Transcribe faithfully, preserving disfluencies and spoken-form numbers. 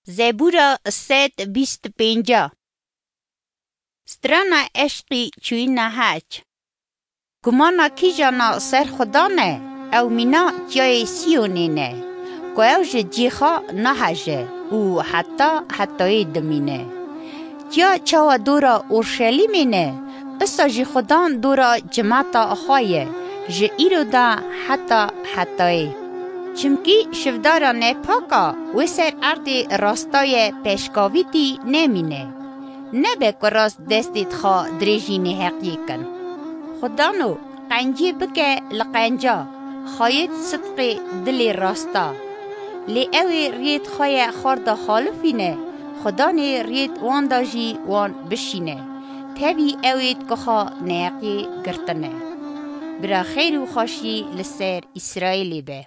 Zebûra sed bîst pênca. Strana eşqî çûyîna hec. Gumana kîjana ser Xudan e, ew mîna Tiyayê Siyonê ne, ku ew ji cî xwe naheje û heta hetayê dimîne. Tiya çawa dora Orşelîmê ne, isa jî Xudan dora cimata xwe ye, ji îro de heta hetayê. Çimkî şivdara nepaka wê ser erdê rasta ye, peşkavîtî nemîne. Nebe ku rast destê dixa dirêjî nêheqiyê kin. Xudano, qencê bike li qenca, xayêt sidqê dilê rasta. Lê ew ê riyêt xwe ye xwarda xalifîne, Xudanê riyêt wan da jî wan bişîne. Tevî ew ê ku xwe neheqiyê girtine. Bira xêr û xweşî li ser Îsraîlê be.